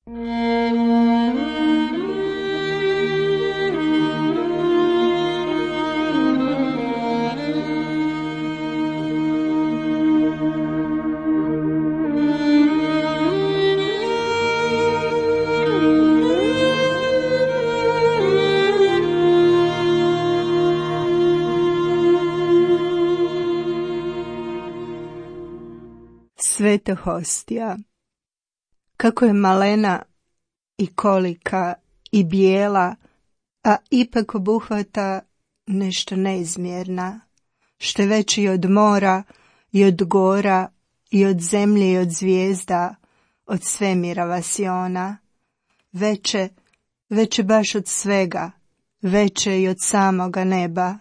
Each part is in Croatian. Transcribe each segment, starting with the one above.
Sveta hostija. Kako je malena i kolika i bijela, a ipak obuhvata nešto neizmjerna, što je veći i od mora, i od gora, i od zemlje, i od zvijezda, od svemira vasiona, veće baš od svega, veće i od samoga neba.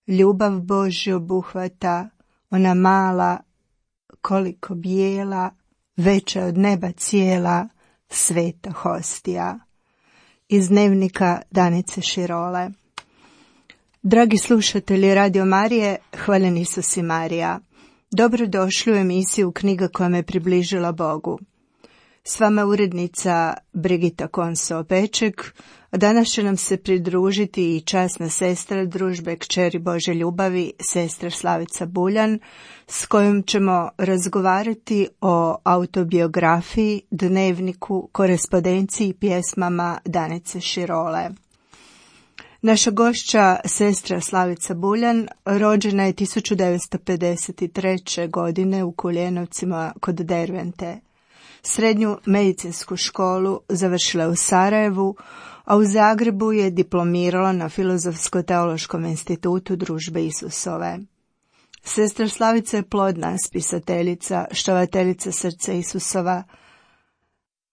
Ljubav Božja obuhvata, ona mala, koliko bijela, veća od neba cijela, sveta hostija. Iz dnevnika Danice Širole. Dragi slušatelji Radio Marije, hvaljen Isus i Marija. Dobrodošli u emisiju Knjiga koja me približila Bogu. S vama urednica Brigita Konso-Opeček, a danas će nam se pridružiti i časna sestra družbe Kćeri Božje ljubavi, sestra Slavica Buljan, s kojom ćemo razgovarati o autobiografiji, dnevniku, korespondenciji i pjesmama Danice Širole. Naša gošća, sestra Slavica Buljan, rođena je 1953. godine u Kuljenovcima kod Dervente. Srednju medicinsku školu završila je u Sarajevu, a u Zagrebu je diplomirala na Filozofsko-teološkom institutu Družbe Isusove. Sestra Slavica je plodna spisateljica, štovateljica srca Isusova.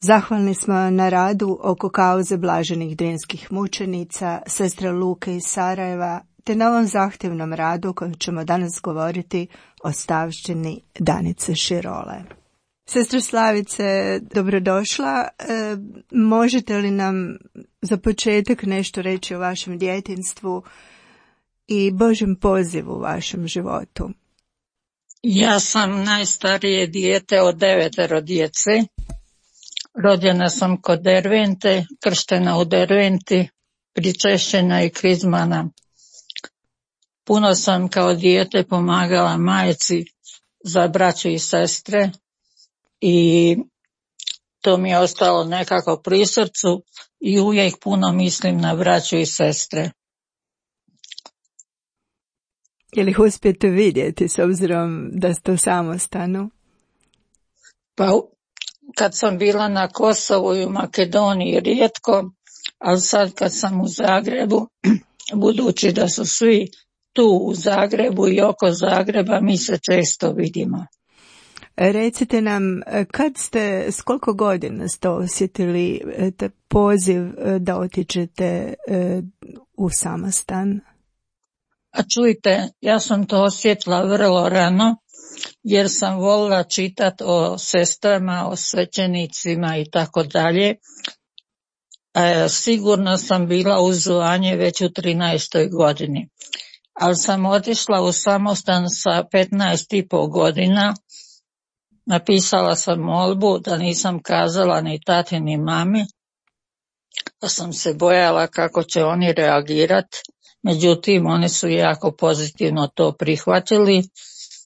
Zahvalni smo na radu oko kauze blaženih drinskih mučenica, sestre Luke iz Sarajeva, te na ovom zahtjevnom radu kojim ćemo danas govoriti o stavštini Danice Širole. Sestra Slavice, dobrodošla. Možete li nam za početak nešto reći o vašem djetinjstvu i Božjem pozivu u vašem životu? Ja sam najstarije dijete od 9 djece. Rođena sam kod Dervente, krštena u Derventi, pričešćena i krizmana. Puno sam kao dijete pomagala majci za braću i sestre i to mi je ostalo nekako pri srcu i uvijek puno mislim na braću i sestre. Je li ih uspijete vidjeti s obzirom da ste u samostanu? Pa kad sam bila na Kosovu i u Makedoniji rijetko, ali sad kad sam u Zagrebu, budući da su svi tu u Zagrebu i oko Zagreba, mi se često vidimo. Recite nam, s koliko godina ste osjetili poziv da otiđete u samostan? A čujte, ja sam to osjetila vrlo rano, jer sam volila čitati o sestrama, o svećenicima i tako dalje. Sigurno sam bila u zvanje već u 13. godini, ali sam otišla u samostan sa 15,5 godina. Napisala sam molbu da nisam kazala ni tati ni mami, pa sam se bojala kako će oni reagirati. Međutim, oni su jako pozitivno to prihvatili,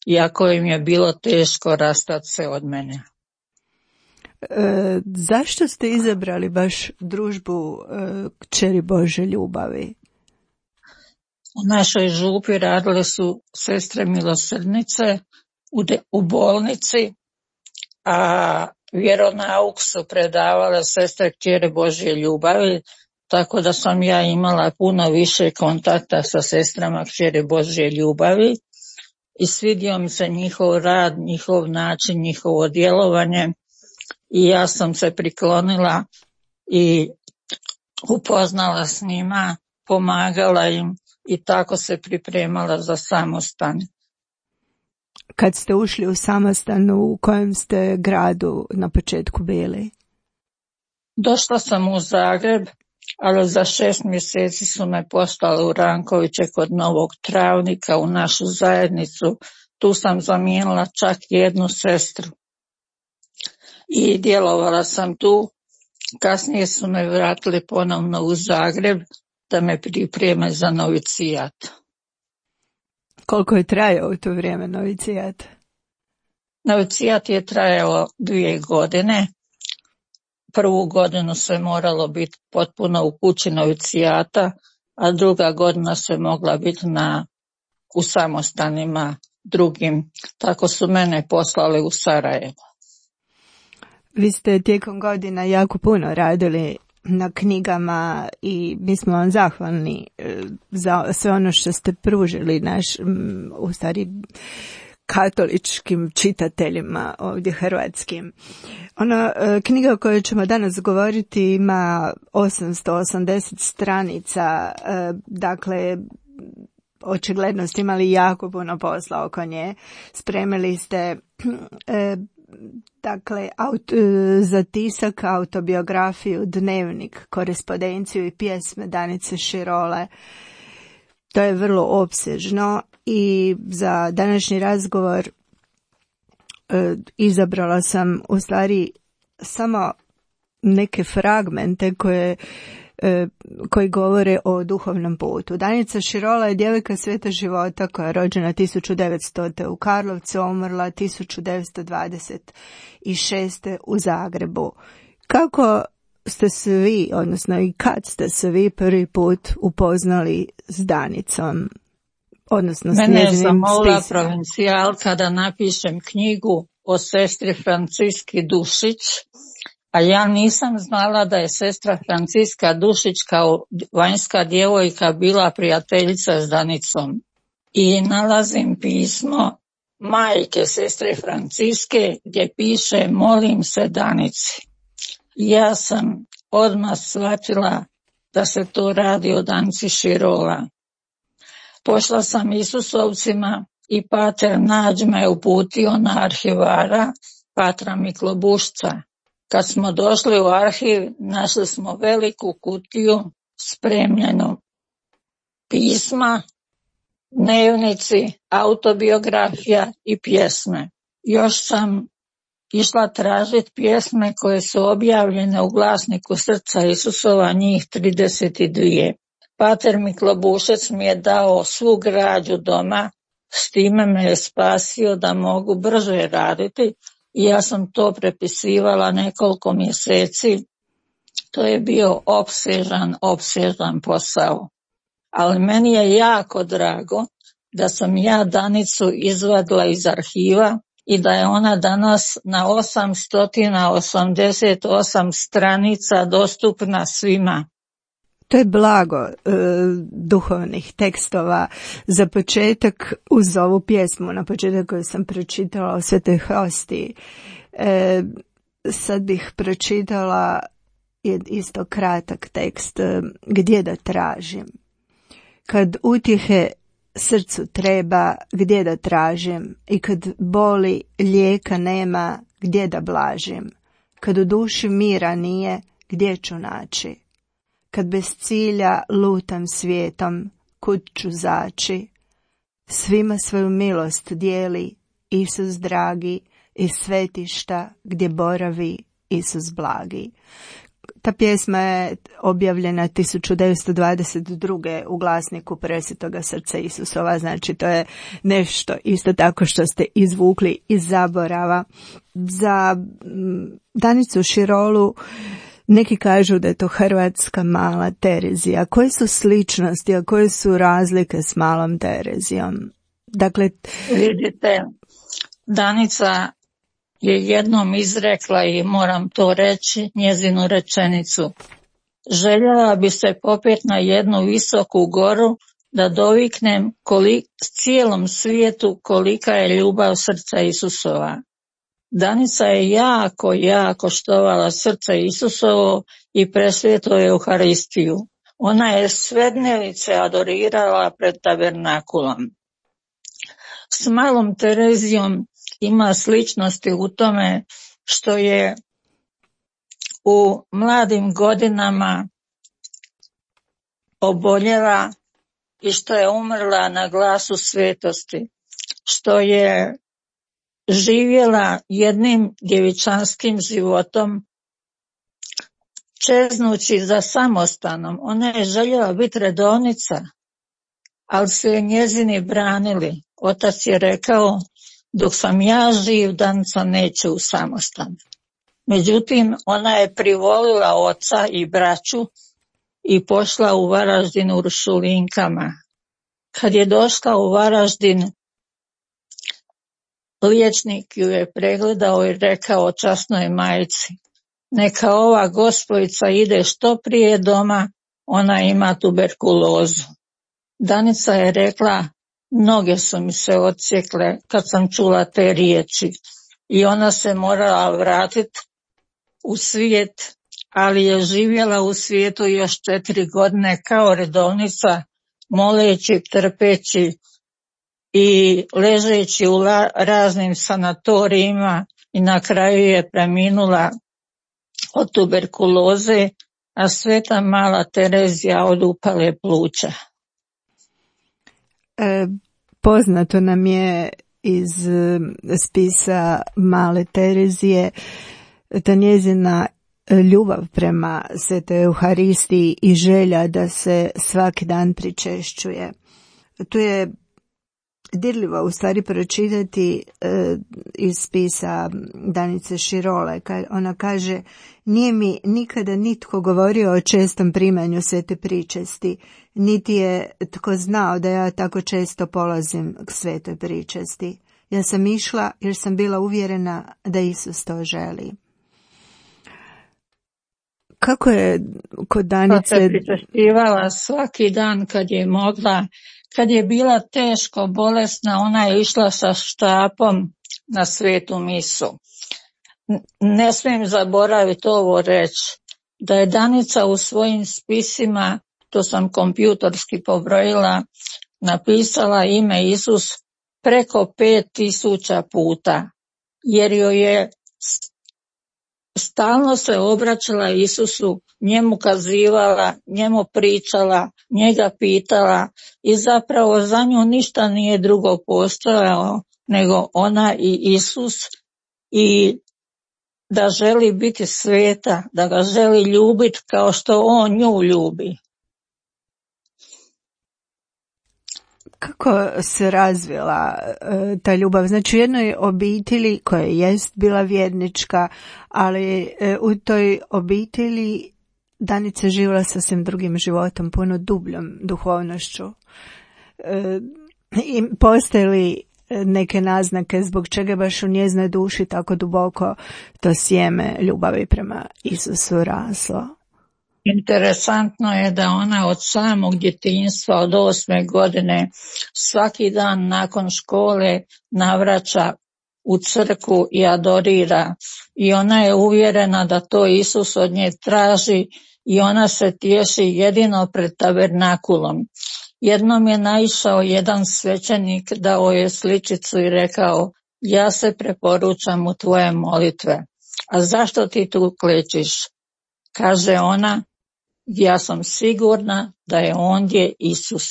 iako im je bilo teško rastati se od mene. Zašto ste izabrali baš družbu Kćeri Božje ljubavi? U našoj župi radile su sestre milosrdnice u bolnici, a vjeronauk su predavale sestre Kćeri Božje ljubavi, tako da sam ja imala puno više kontakta sa sestrama Kćeri Božje ljubavi i svidio mi se njihov rad, njihov način, njihovo djelovanje i ja sam se priklonila i upoznala s njima, pomagala im i tako se pripremala za samostan. Kad ste ušli u samostan, u kojem ste gradu na početku bili? Došla sam u Zagreb, ali za 6 mjeseci su me poslali u Rankoviće kod Novog Travnika u našu zajednicu. Tu sam zamijenila čak jednu sestru. I djelovala sam tu Kasnije su me vratili ponovno u Zagreb da me pripreme za novicijat. Koliko je trajao u to vrijeme novicijat? Novicijat je trajao 2 godine. Prvu godinu se moralo biti potpuno u kući novicijata, a druga godina se mogla biti u samostanima drugim. Tako su mene poslali u Sarajevo. Vi ste tijekom godina jako puno radili na knjigama i mi smo vam zahvalni za sve ono što ste pružili u stvari katoličkim čitateljima ovdje hrvatskim. Knjiga o kojoj ćemo danas govoriti ima 880 stranica, dakle očigledno ste imali jako puno posla oko nje. Spremili ste dakle za tisak autobiografiju, dnevnik, korespondenciju i pjesme Danice Širole. To je vrlo opsežno i za današnji razgovor izabrala sam u stvari samo neke fragmente koji govore o duhovnom putu. Danica Širola je djevojka sveta života koja je rođena 1900. u Karlovcu, umrla 1926. u Zagrebu. Kako ste se vi, odnosno i kad ste se vi prvi put upoznali s Danicom? Odnosno Mene je zamolila provincijalka da napišem knjigu o sestri Franciski Dušić, a ja nisam znala da je sestra Franciska Dušić kao vanjska djevojka bila prijateljica s Danicom. I nalazim pismo majke sestre Franciske gdje piše: molim se Danici. Ja sam odmah shvatila da se to radi o Danici Širola. Pošla sam Isusovcima i pater Nađ me uputio na arhivara patra Miklobušca. Kad smo došli u arhiv, našli smo veliku kutiju spremljenu pisma, dnevnici, autobiografija i pjesme. Još sam išla tražiti pjesme koje su objavljene u glasniku Srca Isusova, njih 32. Pater Miklobušec mi je dao svu građu doma, s time me je spasio da mogu brže raditi i ja sam to prepisivala nekoliko mjeseci. To je bio opsežan posao. Ali meni je jako drago da sam ja Danicu izvadila iz arhiva i da je ona danas na 888 stranica dostupna svima. To je blago duhovnih tekstova. Za početak, uz ovu pjesmu na početak koju sam pročitala o Svetoj Hostiji, sad bih pročitala isto kratak tekst: gdje da tražim. Kad utjehe srcu treba, gdje da tražim, i kad boli lijeka nema, gdje da blažim. Kad u duši mira nije, gdje ću naći. Kad bez cilja lutam svijetom, kud ću zaći. Svima svoju milost dijeli Isus dragi, iz svetišta gdje boravi Isus blagi. Ta pjesma je objavljena 1922. u glasniku Presvetoga Srca Isusova, znači to je nešto isto tako što ste izvukli iz zaborava. Za Danicu Širolu neki kažu da je to hrvatska mala Terezija. Koje su sličnosti, a koje su razlike s malom Terezijom? Dakle, vidite, Danica je jednom izrekla, i moram to reći, njezinu rečenicu: željela bi se popet na jednu visoku goru da doviknem cijelom svijetu kolika je ljubav Srca Isusova. Danica je jako štovala Srce Isusovo i presvetu Euharistiju. Ona je sve dnevice adorirala pred tabernakulom. S malom Terezijom ima sličnosti u tome što je u mladim godinama oboljela i što je umrla na glasu svetosti, što je živjela jednim djevičanskim životom čeznući za samostanom. Ona je željela biti redovnica, ali su je njezini branili. Otac je rekao, dok sam ja živ, Danica neće u samostan. Međutim, ona je privolila oca i braću i pošla u Varaždin Uršulinkama. Kad je došla u Varaždin, liječnik ju je pregledao i rekao časnoj majci, neka ova gospojica ide što prije doma, ona ima tuberkulozu. Danica je rekla, noge su mi se odsjekle kad sam čula te riječi i ona se morala vratiti u svijet, ali je živjela u svijetu još 4 godine kao redovnica, moleći, trpeći i ležeći u raznim sanatorijima i na kraju je preminula od tuberkuloze, a sveta mala Terezija od upale pluća. Poznato nam je iz spisa male Terezije ta njezina ljubav prema Svetoj Euharistiji i želja da se svaki dan pričešćuje. Tu je dirljivo u stvari pročitati iz spisa Danice Širole. Ona kaže, nije mi nikada nitko govorio o čestom primanju svete pričesti, niti je tko znao da ja tako često polazim k svetoj pričesti. Ja sam išla jer sam bila uvjerena da Isus to želi. Kako je kod Danice? Pa se pričešćivala svaki dan kad je mogla. Kad je bila teško bolesna, ona je išla sa štapom na svetu misu. Ne smijem zaboraviti ovo reći, da je Danica u svojim spisima, to sam kompjutorski pobrojila, napisala ime Isus preko 5000 puta, jer joj je stalno se obraćala Isusu, njemu kazivala, njemu pričala, njega pitala i zapravo za nju ništa nije drugo postojalo nego ona i Isus i da želi biti sveta, da ga želi ljubiti kao što on nju ljubi. Kako se razvila ta ljubav? Znači u jednoj obitelji koja jest bila vjernička, ali u toj obitelji Danica živjela sasvim drugim životom, puno dubljom duhovnošću. I postoje li neke naznake zbog čega baš u njezinoj duši tako duboko to sjeme ljubavi prema Isusu raslo? Interesantno je da ona od samog djetinjstva, od 8. godine, svaki dan nakon škole navraća u crkvu i adorira. I ona je uvjerena da to Isus od nje traži i ona se tješi jedino pred tabernakulom. Jednom je naišao jedan svećenik, dao je sličicu i rekao, ja se preporučam u tvoje molitve. A zašto ti tu klečiš? Kaže ona, ja sam sigurna da je ondje Isus.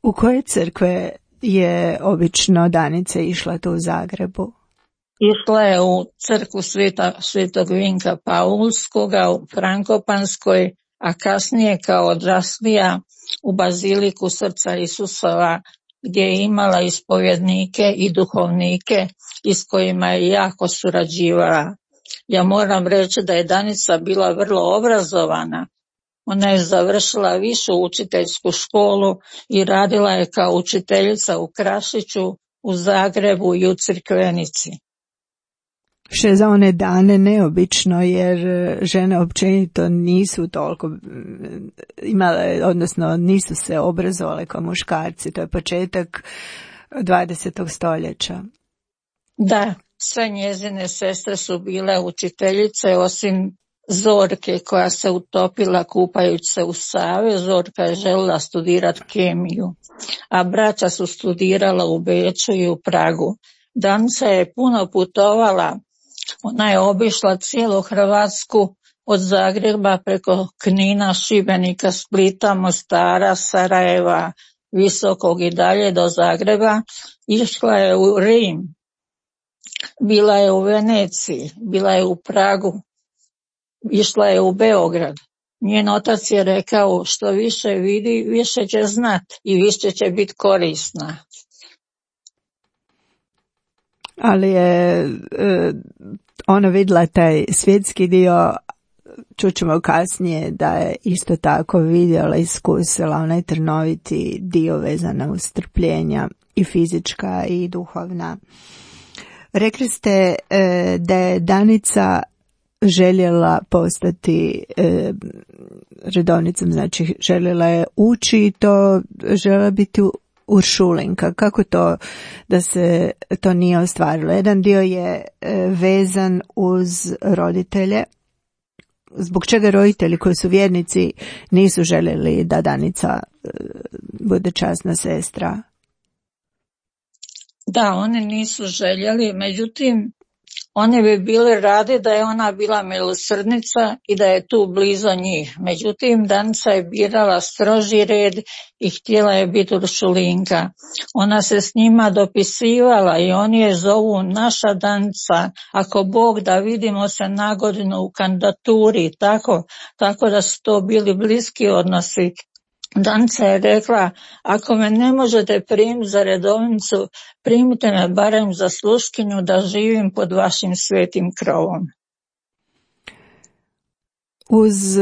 U koje crkve je obično Danica išla tu u Zagrebu? Išla je u crkvu Svetog Vinka Paulskoga u Frankopanskoj, a kasnije kao odraslija u Baziliku Srca Isusova, gdje je imala ispovjednike i duhovnike i s kojima je jako surađivala. Ja moram reći da je Danica bila vrlo obrazovana. Ona je završila višu učiteljsku školu i radila je kao učiteljica u Krašiću, u Zagrebu i u Crikvenici. Što je za one dane neobično, jer žene općenito nisu toliko imale, odnosno nisu se obrazovale kao muškarci. To je početak 20. stoljeća. Da, sve njezine sestre su bile učiteljice, osim Zorke koja se utopila kupajući se u Savi. Zorka je željela studirati kemiju, a braća su studirala u Beču i u Pragu. Danica je puno putovala. Ona je obišla cijelu Hrvatsku od Zagreba preko Knina, Šibenika, Splita, Mostara, Sarajeva, Visokog i dalje do Zagreba. Išla je u Rim, bila je u Veneciji, bila je u Pragu, išla je u Beograd. Njen otac je rekao, što više vidi, više će znat i više će biti korisna. Ali je ona vidjela taj svjetski dio, čućemo kasnije da je isto tako vidjela, iskusila onaj trnoviti dio vezana uz strpljenja i fizička i duhovna. Rekli ste da je Danica željela postati redovnicom, znači željela je ući i to željela biti Uršulinka. Kako to da se to nije ostvarilo? Jedan dio je vezan uz roditelje. Zbog čega roditelji koji su vjernici nisu željeli da Danica bude časna sestra? Da, oni nisu željeli, međutim, oni bi bili radi da je ona bila milosrdnica i da je tu blizu njih. Međutim, Danica je birala stroži red i htjela je biti Uršulinka. Ona se s njima dopisivala i oni je zovu naša Danica. Ako Bog da, vidimo se na godinu u kandidaturi, tako da su to bili bliski odnosi. Danica je rekla, ako me ne možete primiti za redovnicu, primite me barem za sluškinju da živim pod vašim svetim krovom. Uz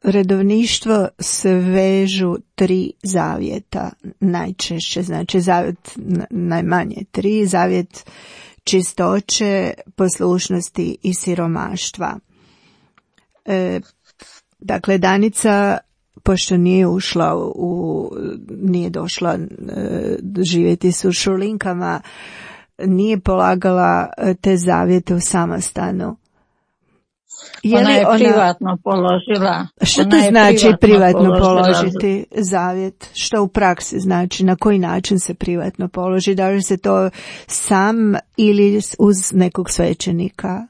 redovništvo se vežu 3 zavjeta, najčešće, znači zavjet najmanje 3, zavjet čistoće, poslušnosti i siromaštva. Dakle, Danica, pošto nije došla živjeti s Uršulinkama, nije polagala te zavjete u samostanu. Ona je privatno položila. Što to znači privatno položiti zavjet? Što u praksi znači? Na koji način se privatno položi? Da li se to sam ili uz nekog svećenika?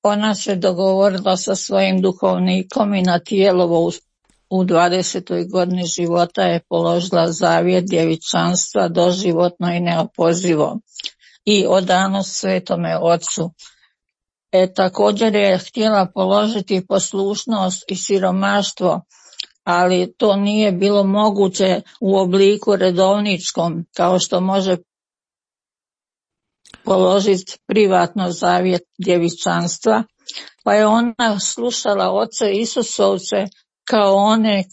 Ona se dogovorila sa svojim duhovnikom i na Tijelovo u 20. godini života je položila zavjet djevičanstva doživotno i neopozivo i odano Svetome Ocu. Također je htjela položiti poslušnost i siromaštvo, ali to nije bilo moguće u obliku redovničkom, kao što može položiti privatno zavjet djevičanstva, pa je ona slušala oce Isusovce kao one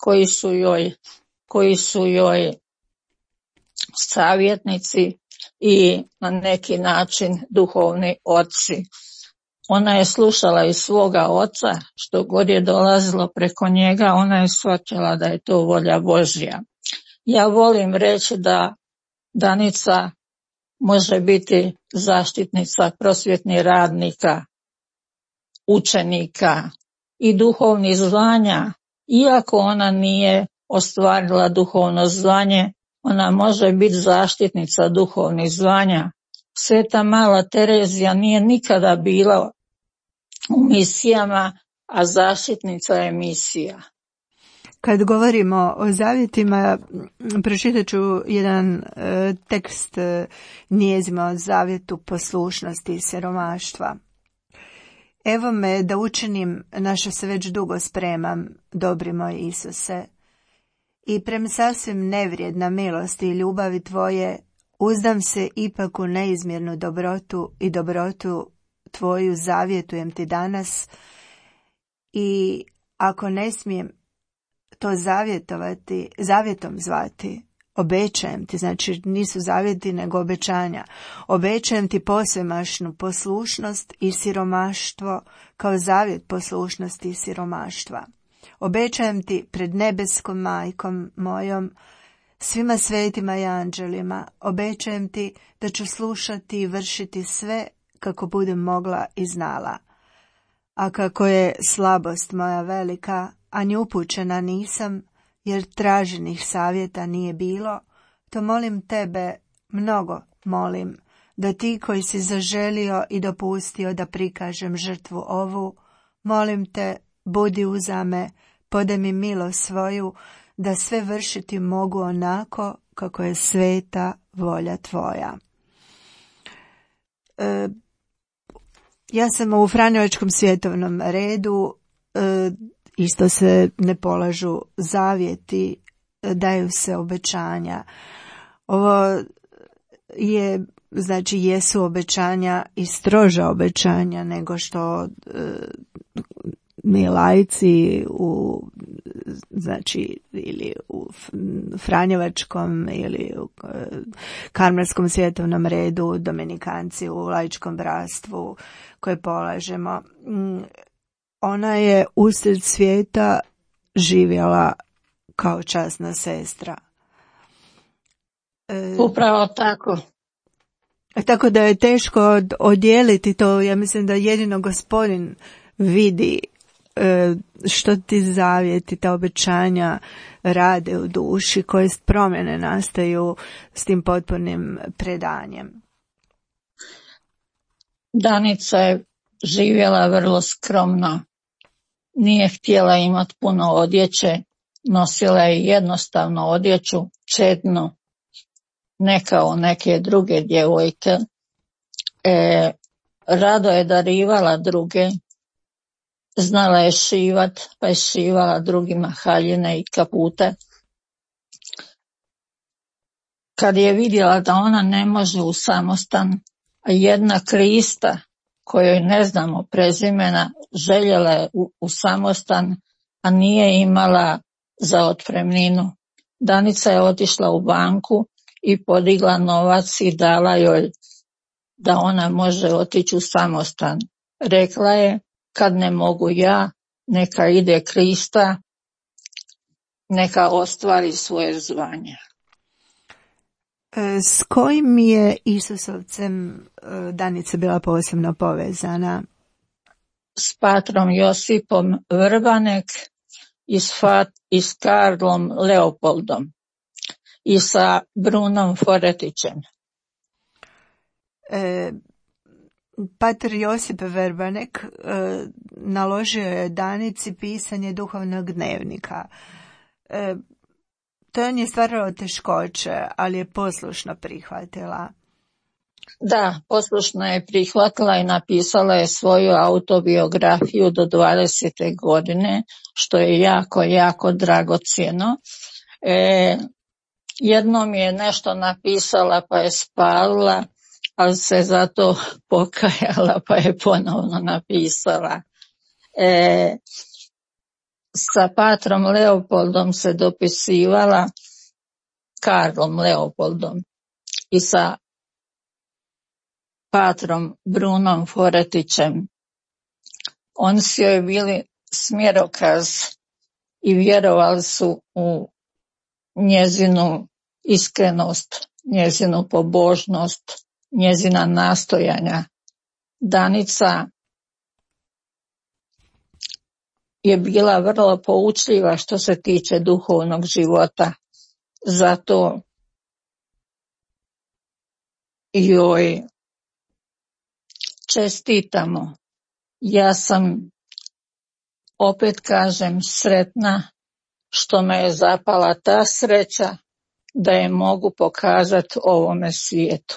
koji su joj savjetnici i na neki način duhovni oci. Ona je slušala i svoga oca, što god je dolazilo preko njega, ona je shvatila da je to volja Božja. Ja volim reći da Danica može biti zaštitnica prosvjetnih radnika, učenika i duhovnih zvanja. Iako ona nije ostvarila duhovno zvanje, ona može biti zaštitnica duhovnih zvanja. Sveta Mala Terezija nije nikada bila u misijama, a zaštitnica je misija. Kad govorimo o zavjetima, pročitat ću jedan tekst njezima o zavjetu poslušnosti i siromaštva. Evo me da učinim na što se već dugo spremam, dobri moj Isuse, i prema sasvim nevrijedna milosti i ljubavi Tvoje, uzdam se ipak u neizmjernu dobrotu i dobrotu Tvoju zavjetujem Ti danas, i ako ne smijem to zavjetom zvati, obećajem Ti, znači nisu zavjeti nego obećanja, obećajem Ti posvemašnu poslušnost i siromaštvo kao zavjet poslušnosti i siromaštva. Obećajem Ti pred nebeskom majkom mojom, svima svetima i anđelima, obećajem Ti da ću slušati i vršiti sve kako budem mogla i znala. A kako je slabost moja velika, a ni upućena nisam, jer traženih savjeta nije bilo, to molim Tebe, mnogo molim, da Ti koji si zaželio i dopustio da prikažem žrtvu ovu, molim Te, budi uza me, podaj mi milost svoju, da sve vršiti mogu onako kako je sveta volja Tvoja. Ja sam u Franjevačkom svjetovnom redu, isto se ne polažu zavjeti, daju se obećanja. Ovo je, znači, jesu obećanja i stroža obećanja nego što mi laici u, znači, ili u Franjevačkom ili u Karmelskom svjetovnom redu, Dominikanci u laičkom bratstvu koje polažemo. Ona je usred svijeta živjela kao časna sestra. Upravo tako. Tako da je teško odijeliti to. Ja mislim da jedino Gospodin vidi što ti zavjeti, ta obećanja rade u duši, koje promjene nastaju s tim potpunim predanjem. Danica je živjela vrlo skromno. Nije htjela imati puno odjeće, nosila je jednostavnu odjeću, čednu, ne kao neke druge djevojke. Rado je darivala druge, znala je šivat, pa je šivala drugima haljine i kapute. Kad je vidjela da ona ne može u samostan, a jedna Krista, kojoj ne znamo prezimena, željela je u samostan, a nije imala za otpremninu. Danica je otišla u banku i podigla novac i dala joj da ona može otići u samostan. Rekla je, kad ne mogu ja, neka ide Krista, neka ostvari svoje zvanje. S kojim je Isusovcem Danica bila posebno povezana? S patrom Josipom Vrbanek i s Karlom Leopoldom i sa Brunom Foretićem. Pater Josip Vrbanek naložio je Danici pisanje duhovnog dnevnika. To je stvaralo teškoće, ali je poslušno prihvatila. Da, poslušno je prihvatila i napisala je svoju autobiografiju do 20. godine, što je jako, jako dragocjeno. Jednom je nešto napisala pa je spalila, ali se zato pokajala pa je ponovno napisala. Sa patrom Leopoldom se dopisivala, Karlom Leopoldom, i sa patrom Brunom Foretićem. Oni su joj bili smjerokaz i vjerovali su u njezinu iskrenost, njezinu pobožnost, njezina nastojanja. Danica je bila vrlo poučljiva što se tiče duhovnog života. Zato joj čestitamo. Ja sam, opet kažem, sretna što me je zapala ta sreća da je mogu pokazati ovome svijetu.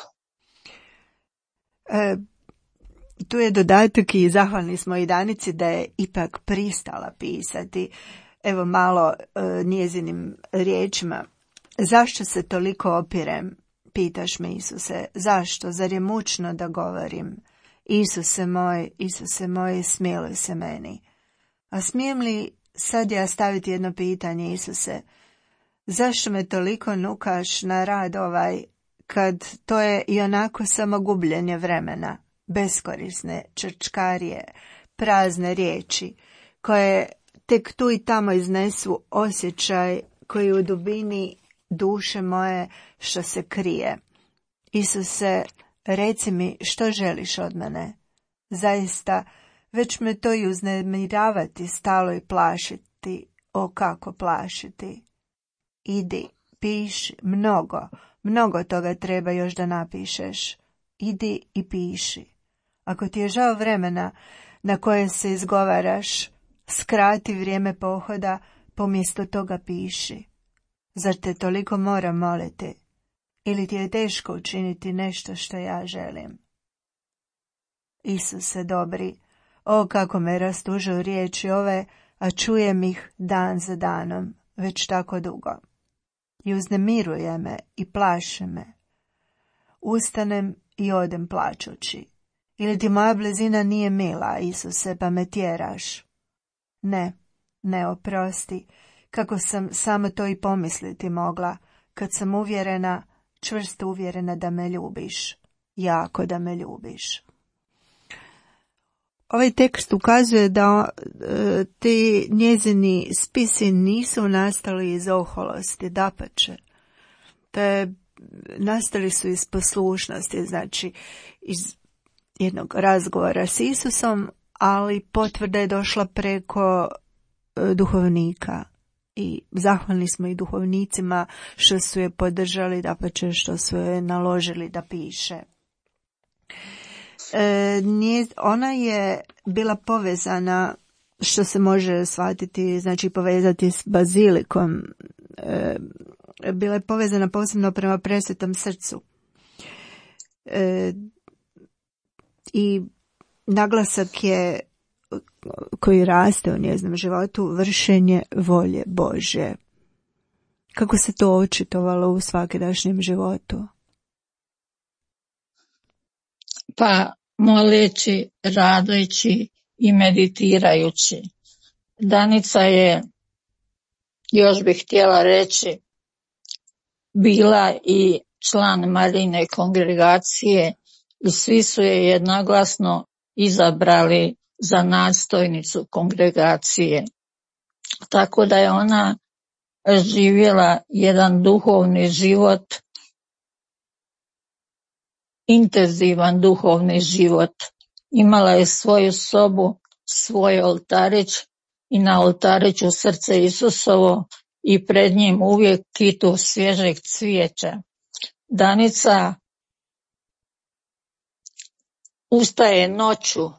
Tu je dodatak i zahvalni smo i Danici da je ipak pristala pisati. Evo malo njezinim riječima. Zašto se toliko opirem? Pitaš me, Isuse. Zašto? Zar je mučno da govorim? Isuse moj, smiluj se meni. A smijem li sad ja staviti jedno pitanje, Isuse? Zašto me toliko nukaš na rad ovaj, kad to je i onako samo gubljenje vremena, beskorisne črčkarije, prazne riječi, koje tek tu i tamo iznesu osjećaj koji u dubini duše moje što se krije. Isuse, reci mi što želiš od mene. Zaista, već me to i uznemiravati stalo i plašiti. O, kako plašiti. Idi, piši, mnogo toga treba još da napišeš. Idi i piši. Ako ti je žao vremena na koje se izgovaraš, skrati vrijeme pohoda, pomjesto toga piši. Zar te toliko moram moliti? Ili ti je teško učiniti nešto što ja želim? Isuse dobri, o kako me rastužuju riječi ove, a čujem ih dan za danom, već tako dugo. I uznemiruje me i plaše me. Ustanem i odem plačući. Ili ti moja blizina nije mila, Isuse, pa me tjeraš? Ne, oprosti, kako sam samo to i pomisliti mogla, kad sam uvjerena, čvrsto uvjerena da me ljubiš, jako da me ljubiš. Ovaj tekst ukazuje da ti njezini spisi nisu nastali iz oholosti, dapače. Te nastali su iz poslušnosti, znači iz jednog razgovora s Isusom, ali potvrda je došla preko duhovnika. I zahvalni smo i duhovnicima što su je podržali, dapače što su je naložili da piše. Ona je bila povezana, što se može shvatiti, znači povezati s bazilikom, bila je povezana posebno prema Presvetom srcu. I naglasak je koji raste u njezinom životu, vršenje volje Božje. Kako se to očitovalo u svakidašnjem životu? Pa moleći, radujući i meditirajući. Danica je, još bih htjela reći, bila i član Marijine kongregacije i svi su je jednoglasno izabrali za nadstojnicu kongregacije. Tako da je ona živjela jedan duhovni život, intenzivan duhovni život. Imala je svoju sobu, svoj oltarić i na oltariću srce Isusovo i pred njim uvijek kitu svježeg cvijeća. Danica ustaje noću,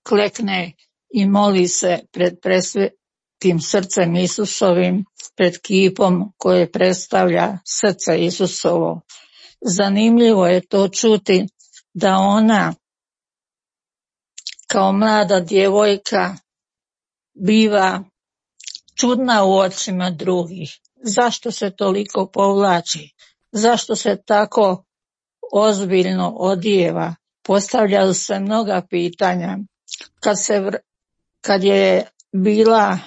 klekne i moli se pred presvetim srcem Isusovim, pred kipom koje predstavlja srce Isusovo. Zanimljivo je to čuti da ona kao mlada djevojka biva čudna u očima drugih. Zašto se toliko povlači? Zašto se tako ozbiljno odijeva? Postavljaju se mnoga pitanja. Kad je bila,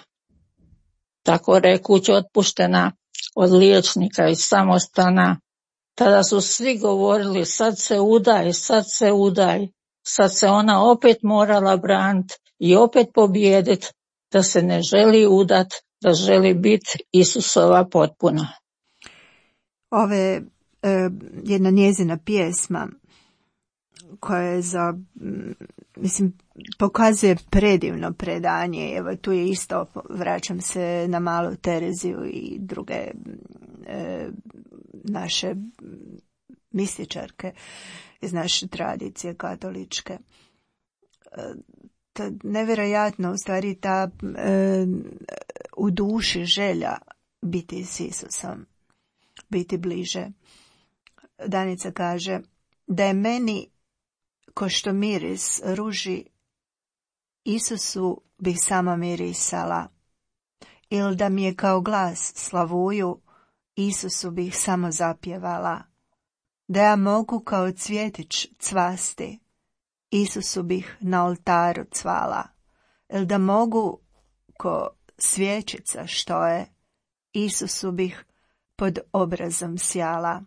tako rekuć, otpuštena od liječnika i samostana, tada su svi govorili sad se udaj. Sad se ona opet morala braniti i opet pobijediti, da se ne želi udat, da želi biti Isusova potpuna. Ove jedna njezina pjesma koja je pokazuje predivno predanje. Evo tu je isto, vraćam se na Malu Tereziju i druge naše mističarke iz naše tradicije katoličke. Nevjerojatno, u stvari ta u duši želja biti s Isusom, biti bliže. Danica kaže da je meni ko što miris ruži, Isusu bih sama mirisala, ili da mi je kao glas slavuju, Isusu bih samo zapjevala, da ja mogu kao cvjetić cvasti, Isusu bih na oltaru cvala, ili da mogu ko svječica što je, Isusu bih pod obrazom sjala,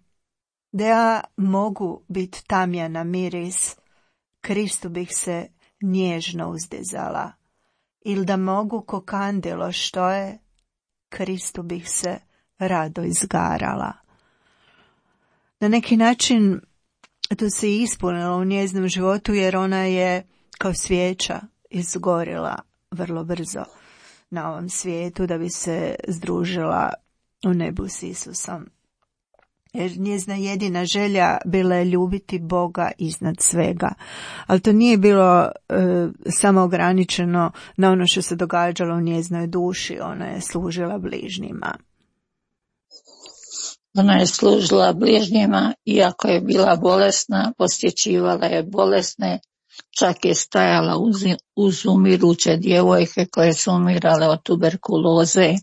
da ja mogu bit tamjana miris, Kristu bih se nježno uzdizala, ili da mogu ko kandilo što je, Kristu bih se rado izgarala. Na neki način to se ispunilo u njezinom životu, jer ona je kao svijeća izgorila vrlo brzo na ovom svijetu da bi se združila u nebu s Isusom. Jer njezina jedina želja bila je ljubiti Boga iznad svega. Ali to nije bilo samo ograničeno na ono što se događalo u njezinoj duši. Ona je služila bližnjima. Ona je služila bližnjima, iako je bila bolesna, posjećivala je bolesne čak je stajala uz umiruće djevojke koje su umirale od tuberkuloze.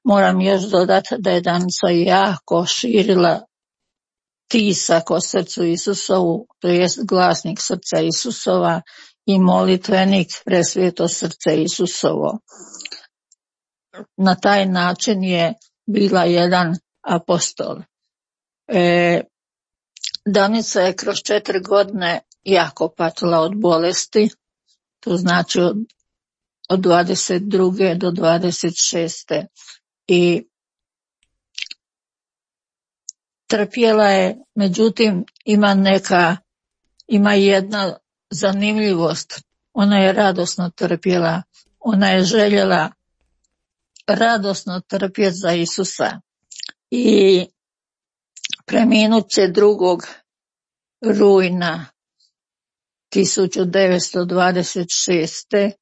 Moram još dodati da je Danica jako širila tisak o srcu Isusovu, to jest glasnik srca Isusova i molitvenik Presveto srce Isusovo. Na taj način je bila jedan apostol. Danica je kroz 4 godine jako patila od bolesti, to znači od 22. do 26. I trpjela je, međutim ima jedna zanimljivost. Ona je radosno trpjela, ona je željela radosno trpjeti za Isusa i preminut će 2. rujna 1926.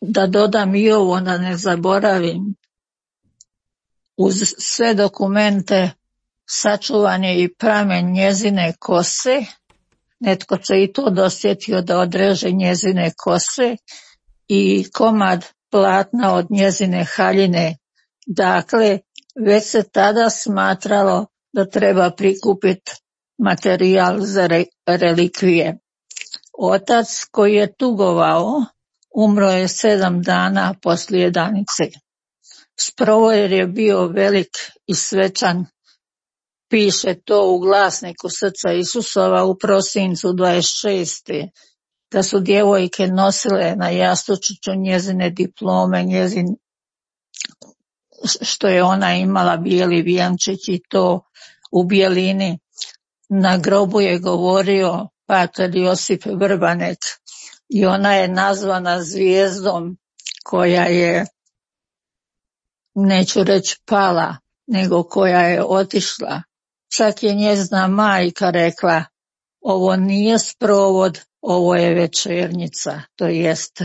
Da dodam i ovo, da ne zaboravim, uz sve dokumente sačuvan je i pramen njezine kose. Netko se i to dosjetio da odreže njezine kose i komad platna od njezine haljine. Dakle, već se tada smatralo da treba prikupiti materijal za relikvije. Otac koji je tugovao umro je 7 dana poslije Danice. Sprovod je bio velik i svečan. Piše to u glasniku srca Isusova u prosincu 26. da su djevojke nosile na jastučiću njezine diplome, što je ona imala bijeli vijenčić i to u bijelini. Na grobu je govorio pater Josip Vrbanek i ona je nazvana zvijezdom koja je, neću reći pala, nego koja je otišla. Čak je njezina majka rekla, ovo nije sprovod, ovo je večernjica, to jest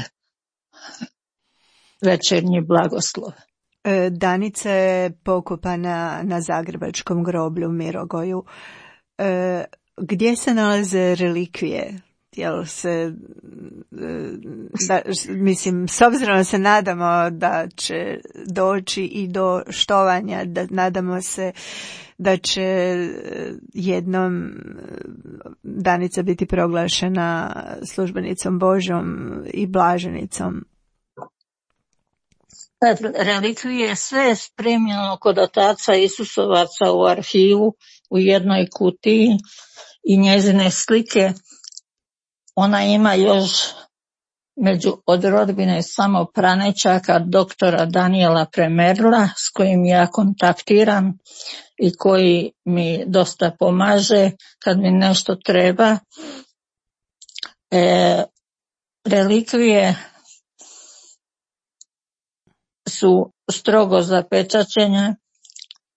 večernji blagoslov. Danica je pokopana na zagrebačkom groblju u Mirogoju. Gdje se nalaze relikvije? Jel se, mislim, s obzirom da se nadamo da će doći i do štovanja, nadamo se da će jednom Danica biti proglašena službenicom Božjom i blaženicom. Relikvije sve je spremljeno kod otaca Isusovaca u arhivu u jednoj kutiji i njezine slike. Ona ima još od rodbine samo pranečaka doktora Daniela Premerla s kojim ja kontaktiram i koji mi dosta pomaže kad mi nešto treba. Relikvije su strogo zapečaćene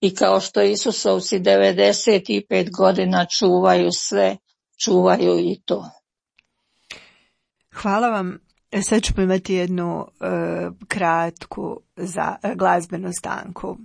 i kao što Isusovci 95 godina čuvaju sve, čuvaju i to. Hvala vam. Sad ćemo imati jednu kratku glazbenu stanku.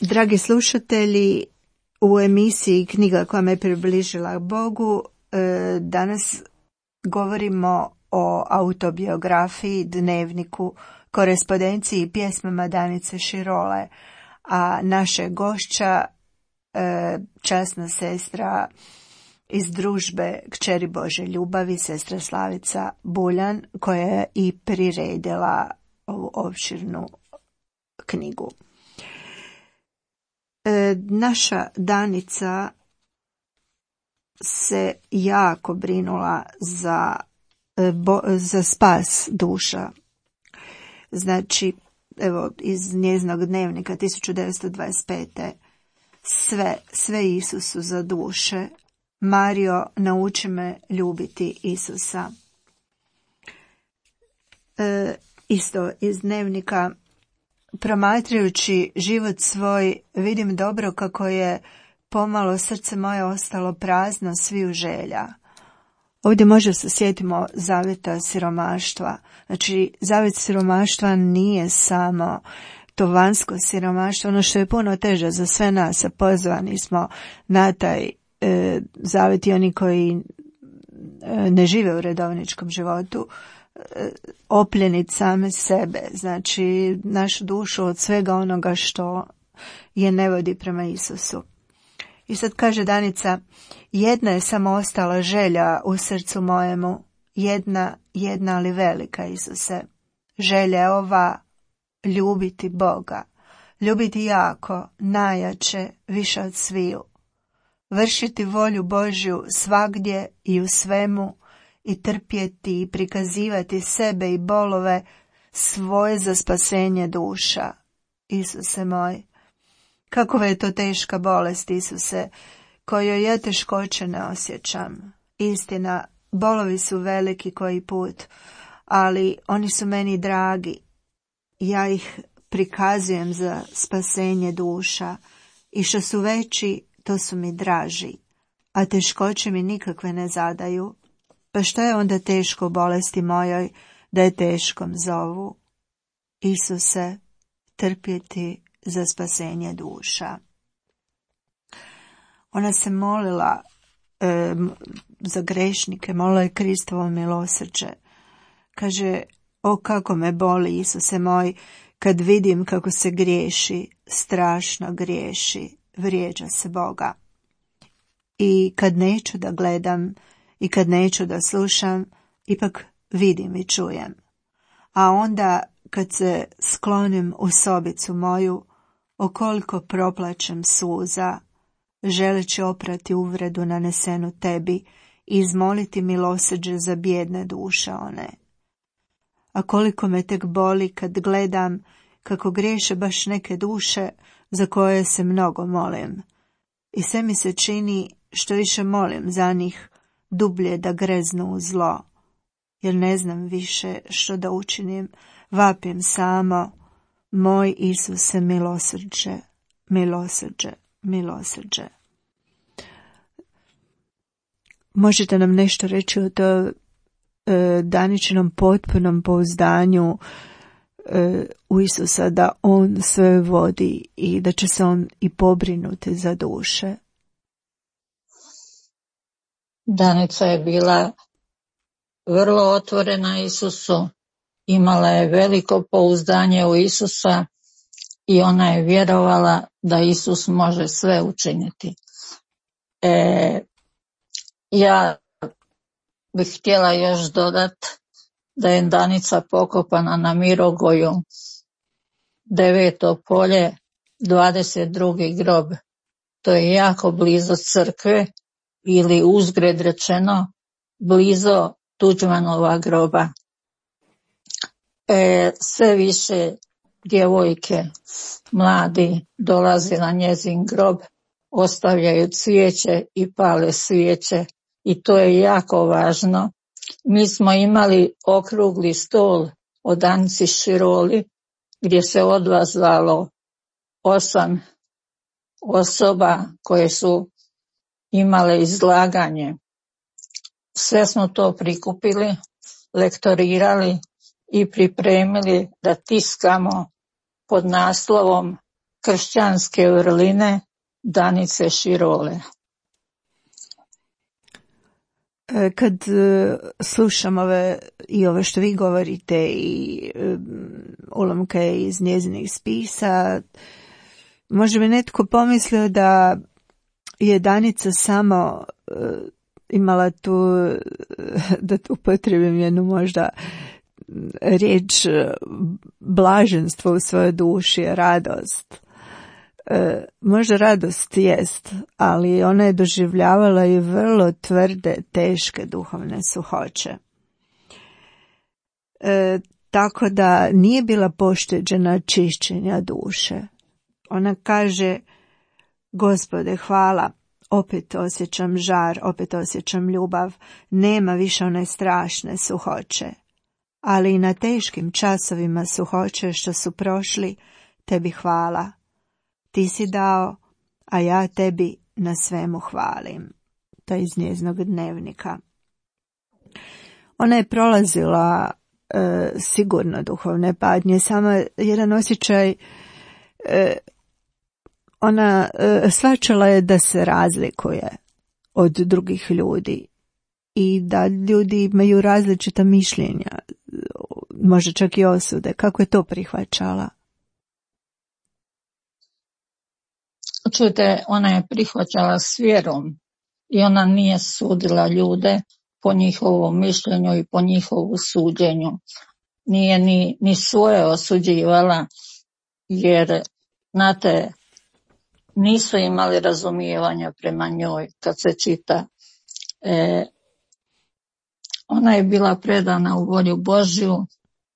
Dragi slušatelji, u emisiji Knjiga koja me približila Bogu danas govorimo o autobiografiji, dnevniku, korespondenciji i pjesmama Danice Širole, a naše gošća, časna sestra iz družbe Kćeri Bože ljubavi, sestra Slavica Buljan, koja je i priredila ovu opširnu knjigu. Naša Danica se jako brinula za spas duša. Znači, evo, iz njezinog dnevnika 1925. Sve Isusu za duše. Mario, nauči me ljubiti Isusa. Isto iz dnevnika: promatrajući život svoj, vidim dobro kako je pomalo srce moje ostalo prazno sviju želja. Ovdje možda se sjetimo zavjeta siromaštva. Znači, zavjet siromaštva nije samo to vanjsko siromaštvo, ono što je puno teže za sve nas, a pozvani smo na taj zavjet i oni koji ne žive u redovničkom životu, opljeniti same sebe, znači našu dušu od svega onoga što je ne vodi prema Isusu. I sad kaže Danica: jedna je samo ostala želja u srcu mojemu, jedna ali velika, Isuse. Želja je ova: ljubiti Boga, ljubiti jako, najjače, više od sviju. Vršiti volju Božju svagdje i u svemu, i trpjeti i prikazivati sebe i bolove svoje za spasenje duša. Isuse moj, kakova je to teška bolest, Isuse, kojoj ja teškoće ne osjećam. Istina, bolovi su veliki koji put, ali oni su meni dragi. Ja ih prikazujem za spasenje duša, i što su veći, to su mi draži, a teškoće mi nikakve ne zadaju. Pa što je onda teško bolesti mojoj, da je teškom zovu? Isuse, trpjeti za spasenje duša. Ona se molila za grešnike, molila je Kristovo milosrđe. Kaže: o kako me boli, Isuse moj, kad vidim kako se griješi, strašno griješi, vrijeđa se Boga. I kad neću da gledam i kad neću da slušam, ipak vidim i čujem. A onda kad se sklonim u sobicu moju, okoliko proplačem suza, želeći oprati uvredu nanesenu tebi i izmoliti milosrđe za bijedne duše one. A koliko me tek boli kad gledam kako griješe baš neke duše za koje se mnogo molim. I sve mi se čini, što više molim za njih, dublje da greznu u zlo, jer ne znam više što da učinim, vapim samo: moj Isuse, milosrđe, milosrđe, milosrđe. Možete nam nešto reći o to Daničinom potpunom pouzdanju u Isusa, da on sve vodi i da će se on i pobrinuti za duše? Danica je bila vrlo otvorena Isusu, imala je veliko pouzdanje u Isusa i ona je vjerovala da Isus može sve učiniti. Ja bih htjela još dodati da je Danica pokopana na Mirogoju, 9. polje, 22. grob. To je jako blizu crkve, ili uzgred rečeno, blizu Tuđmanova groba. Sve više djevojke, mladi, dolaze na njezin grob, ostavljaju cvijeće i pale svijeće, i to je jako važno. Mi smo imali okrugli stol o Danici Široli, gdje se odvazalo 8 osoba koje su imale izlaganje. Sve smo to prikupili, lektorirali i pripremili da tiskamo pod naslovom kršćanske vrline Danice Širole. Kad slušam ove što vi govorite i ulomke iz njezinih spisa, može mi netko pomislio da je Danica samo imala tu, da upotrijebim jednu možda riječ, blaženstvo u svojoj duši, radost. Možda radost jest, ali ona je doživljavala i vrlo tvrde, teške duhovne suhoće. Tako da nije bila pošteđena čišćenja duše. Ona kaže: Gospode, hvala, opet osjećam žar, opet osjećam ljubav, nema više one strašne suhoće. Ali i na teškim časovima suhoće što su prošli, tebi hvala. Ti si dao, a ja tebi na svemu hvalim. To je iz njezinog dnevnika. Ona je prolazila sigurno duhovne padnje, samo jedan osjećaj, ona shvaćala je da se razlikuje od drugih ljudi i da ljudi imaju različita mišljenja, možda čak i osude. Kako je to prihvaćala? Čujte, ona je prihvaćala s vjerom i ona nije sudila ljude po njihovom mišljenju i po njihovu suđenju. Nije ni svoje osuđivala, jer, znate, nisu imali razumijevanja prema njoj kad se čita. Ona je bila predana u volju Božju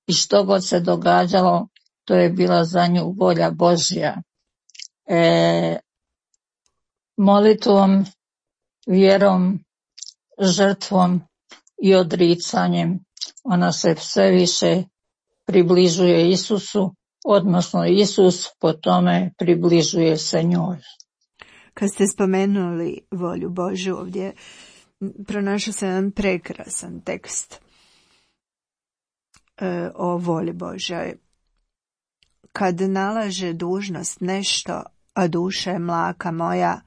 i što god se događalo, to je bila za nju volja Božja. Molitvom, vjerom, žrtvom i odricanjem ona se sve više približuje Isusu, odnosno Isus po tome približuje se njoj. Kad ste spomenuli volju Božju ovdje, pronašao sam jedan prekrasan tekst o volji Božjoj. Kad nalaže dužnost nešto, a duša je mlaka moja,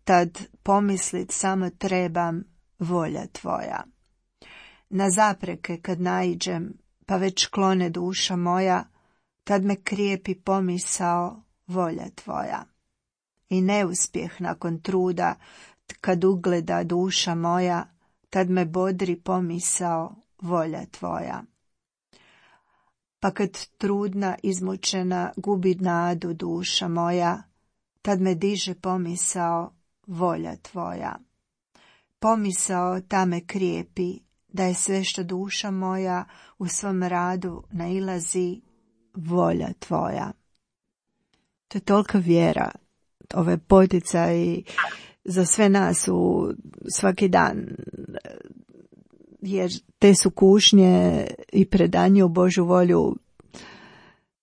tad pomislit samo trebam volja tvoja. Na zapreke kad naiđem, pa već klone duša moja, tad me krijepi pomisao volja tvoja. I neuspjeh nakon truda, kad ugleda duša moja, tad me bodri pomisao volja tvoja. Pa kad trudna, izmučena, gubi nadu duša moja, tad me diže pomisao volja tvoja. Pomisao ta me krijepi, da je sve što duša moja u svom radu nailazi volja tvoja. To je tolika vjera, ove poticaji za sve nas u svaki dan, jer te su kušnje i predanje u Božju volju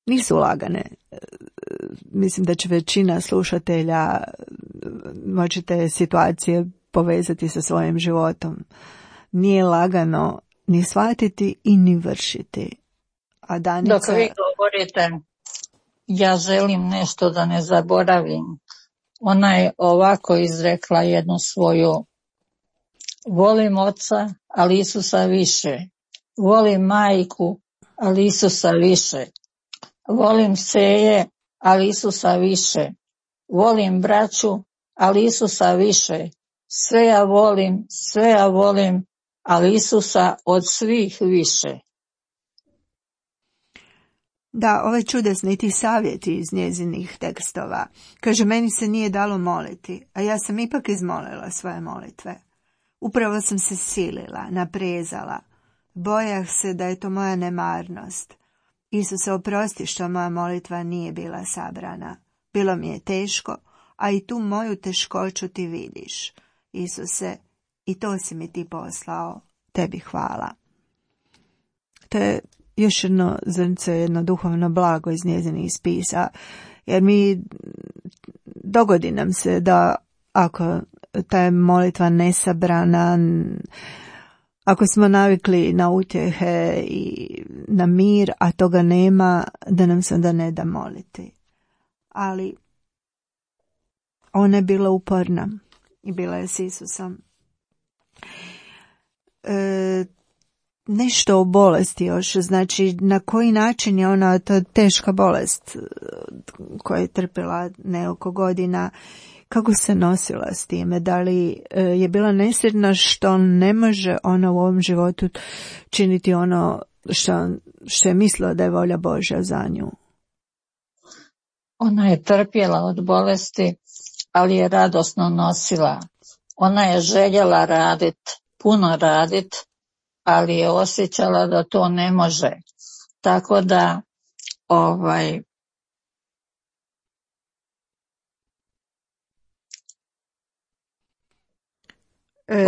nisu lagane. Mislim da će većina slušatelja moći te situacije povezati sa svojim životom. Nije lagano ni shvatiti i ni vršiti. A Danica... Dok vi govorite, ja želim nešto da ne zaboravim. Ona je ovako izrekla jednu svoju: volim oca, ali Isusa više. Volim majku, ali Isusa više. Volim seje, ali Isusa više. Volim braću, ali Isusa više. Sve ja volim, ali Isusa od svih više. Da, ovaj čudesni ti savjeti iz njezinih tekstova. Kaže, meni se nije dalo moliti, a ja sam ipak izmolila svoje molitve. Upravo sam se silila, naprezala. Bojah se da je to moja nemarnost. Isuse, oprosti što moja molitva nije bila sabrana. Bilo mi je teško, a i tu moju teškoću ti vidiš. Isuse, i to si mi ti poslao, tebi hvala. To je još jedno zrnce, jedno duhovno blago iz njezinih spisa, jer mi dogodi nam se da ako ta je molitva nesabrana, ako smo navikli na utjehe i na mir, a toga nema, da nam se onda ne da moliti. ali ona je bila uporna i bila je s Isusom. Nešto o bolesti još, znači na koji način je ona, ta teška bolest koja je trpila nekoliko godina, kako se nosila s time, da li je bila nesretna što ne može ona u ovom životu činiti ono što je mislila da je volja Božja za nju. Ona je trpjela od bolesti, ali je radosno nosila. Ona je željela puno raditi, ali je osjećala da to ne može. Tako da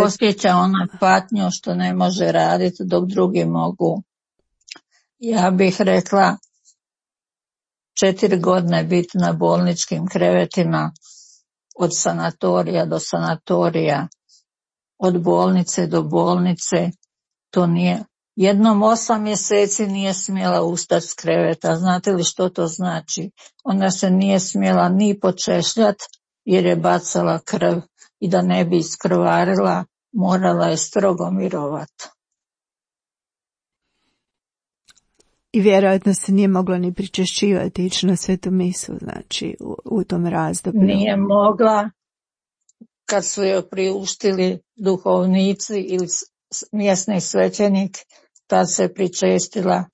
osjeća ona patnju što ne može raditi dok drugi mogu. Ja bih rekla 4 godine biti na bolničkim krevetima, od sanatorija do sanatorija, od bolnice do bolnice. To nije, jednom 8 mjeseci nije smjela ustati s kreveta. Znate li što to znači? Ona se nije smjela ni počešljat jer je bacala krv i da ne bi iskrvarila morala je strogo mirovati. I vjerojatno se nije mogla ni pričešćivati, ići na svetu misu, znači u tom razdoblju. Nije mogla, kad su joj priuštili duhovnici ili mjesni svećenik, tad se pričestila,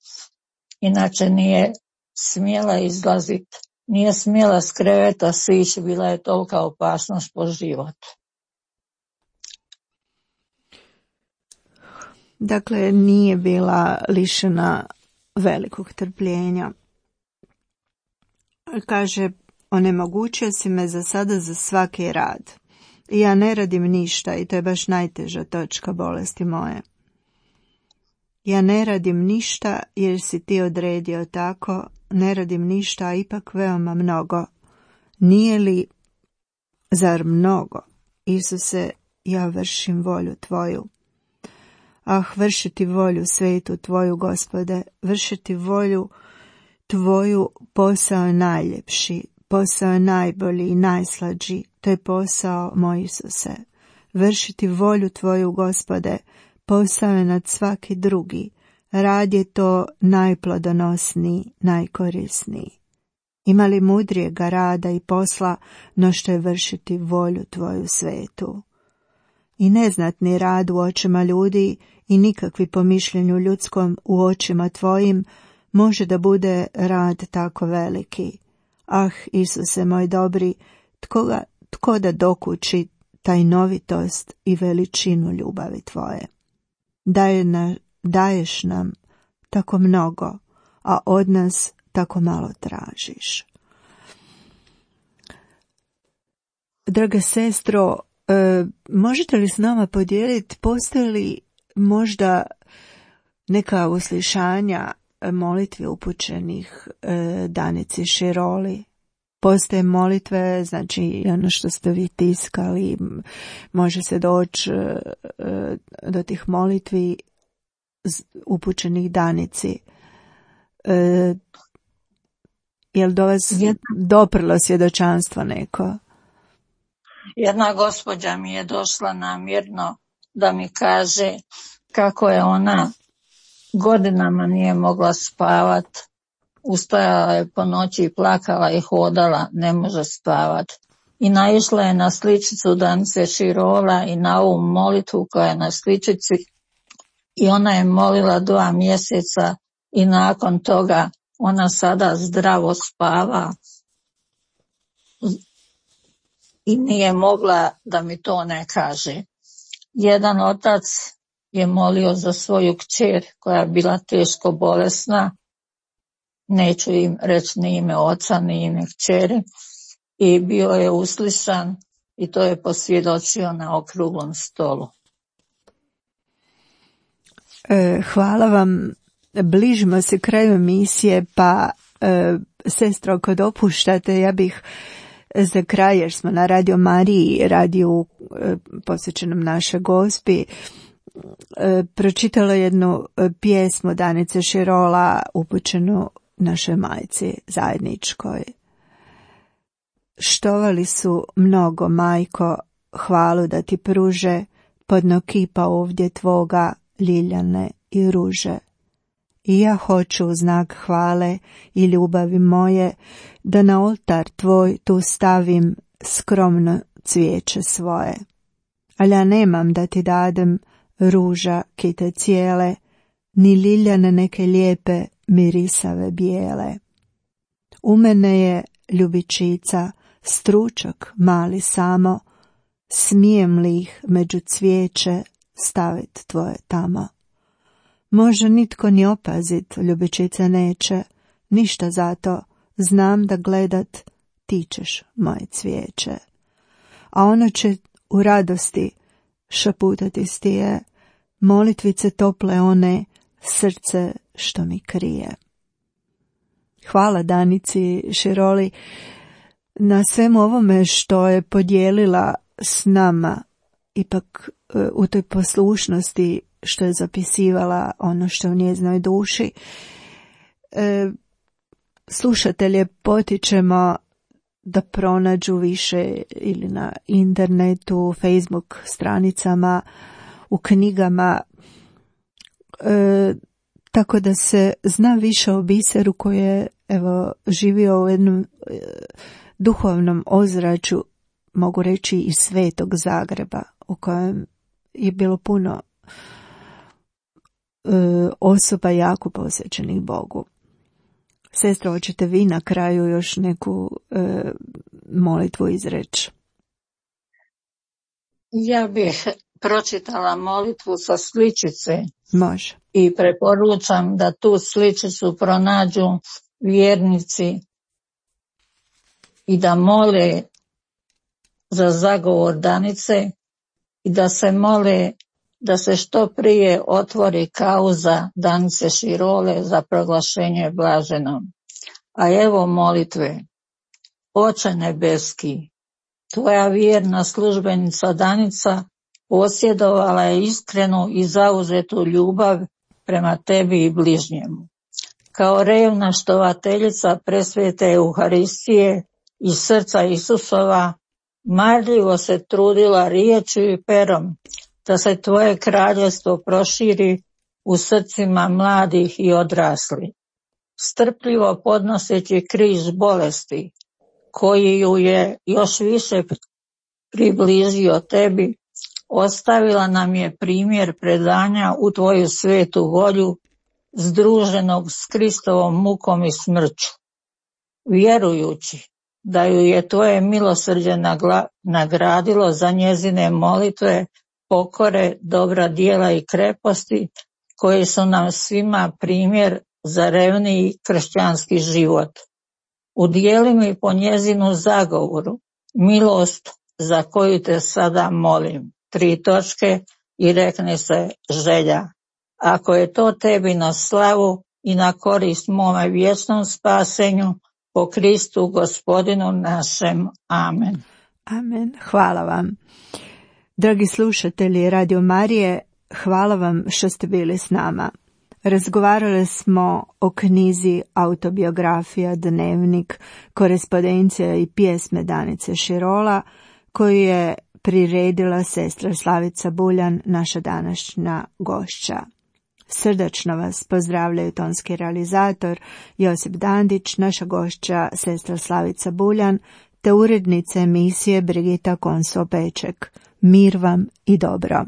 inače nije smjela izlaziti, nije smjela s kreveta sići, bila je tolika opasnost po život. Dakle, nije bila lišena velikog trpljenja. Kaže, onemogućio si me za sada za svaki rad. I ja ne radim ništa i to je baš najteža točka bolesti moje. Ja ne radim ništa jer si ti odredio tako, ne radim ništa, a ipak veoma mnogo. Nije li, zar mnogo? Isuse, ja vršim volju tvoju. Ah, vršiti volju svetu tvoju, Gospode, vršiti volju tvoju, posao je najljepši, posao je najbolji i najslađi, to je posao moj Isuse. Vršiti volju tvoju, Gospode, posao je nad svaki drugi, rad je to najplodonosniji, najkorisniji. Ima li mudrijega rada i posla no što je vršiti volju tvoju svetu? I neznatni rad u očima ljudi i nikakvi po mišljenju ljudskom u očima tvojim može da bude rad tako veliki. Ah, Isuse moj dobri, tko da dokući tajnovitost i veličinu ljubavi tvoje? Daješ nam tako mnogo, a od nas tako malo tražiš. Draga sestro, možete li s nama podijeliti, postoji li možda neka uslišanja molitve upućenih Danici Široli? Postoje molitve, znači ono što ste vi tiskali, može se doći do tih molitvi upućenih Danici. Jel do vas doprlo svjedočanstvo neko? Jedna gospođa mi je došla namjerno da mi kaže kako je ona godinama nije mogla spavat, ustajala je po noći i plakala i hodala, ne može spavat. I naišla je na sličicu Danice Širola i na ovu molitvu koja je na sličici i ona je molila 2 mjeseca i nakon toga ona sada zdravo spava i nije mogla da mi to ne kaže. Jedan otac je molio za svoju kćer koja je bila teško bolesna, neću im reći ni ime oca ni ime kćeri, i bio je uslišan i to je posvjedočio na okruglom stolu. Hvala vam. Bližimo se kraju emisije, pa sestro, ako dopuštate, ja bih za kraj, jer smo na Radio Mariji, radiju posvećenom našoj Gospi, pročitala jednu pjesmu Danice Širola upućenu našoj majci zajedničkoj. štovali su mnogo, majko, hvalu da ti pruže, podno kipa ovdje tvoga, ljiljane i ruže. I ja hoću u znak hvale i ljubavi moje, da na oltar tvoj tu stavim skromno cvijeće svoje. Ali ja nemam da ti dadem ruža kite cijele, ni ljiljane neke lijepe mirisave bijele. U mene je ljubičica, stručak mali samo, smijem li ih među cvijeće stavit tvoje tamo. Može nitko ni opazit, ljubičica neće, ništa zato, znam da gledat ti ćeš moje cvijeće. A ono će u radosti šaputati stije, molitvice tople one, srce što mi krije. Hvala Danici Široli na svemu ovome što je podijelila s nama, ipak u toj poslušnosti što je zapisivala ono što je u njezinoj duši. Slušatelje potičemo da pronađu više ili na internetu, Facebook stranicama, u knjigama, tako da se zna više o biseru koji je živio u jednom duhovnom ozračju, mogu reći iz Svetog Zagreba, u kojem je bilo puno osoba jako posvećenih Bogu. Sestro, hoćete vi na kraju još neku molitvu izreći? Ja bih pročitala molitvu sa sličice. Može. I preporučam da tu sličicu pronađu vjernici i da mole za zagovor Danice i da se mole da se što prije otvori kauza Danice Širole za proglašenje blaženom. A evo molitve. Oče nebeski, tvoja vjerna službenica Danica posjedovala je iskrenu i zauzetu ljubav prema tebi i bližnjemu. Kao revna štovateljica presvete Euharistije iz srca Isusova, marljivo se trudila riječju i perom da se tvoje kraljevstvo proširi u srcima mladih i odraslih. Strpljivo podnoseći križ bolesti, koji ju je još više približio tebi, ostavila nam je primjer predanja u tvoju svetu volju, združenog s Kristovom mukom i smrću. Vjerujući da ju je tvoje milosrđe nagradilo za njezine molitve, pokore, dobra djela i kreposti, koji su nam svima primjer za revniji kršćanski život. Udijeli mi po njezinu zagovoru milost za koju te sada molim. 3 točke i rekne se želja. Ako je to tebi na slavu i na korist mome vječnom spasenju, po Kristu Gospodinu našem. Amen. Amen. Hvala vam. Dragi slušatelji Radio Marije, hvala vam što ste bili s nama. Razgovarali smo o knjizi Autobiografija, dnevnik, korespondencija i pjesme Danice Širola, koju je priredila sestra Slavica Buljan, naša današnja gošća. Srdačno vas pozdravljaju tonski realizator Josip Dandić, naša gošća sestra Slavica Buljan, te urednica emisije Brigita Konso-Peček. Mir vam i dobro.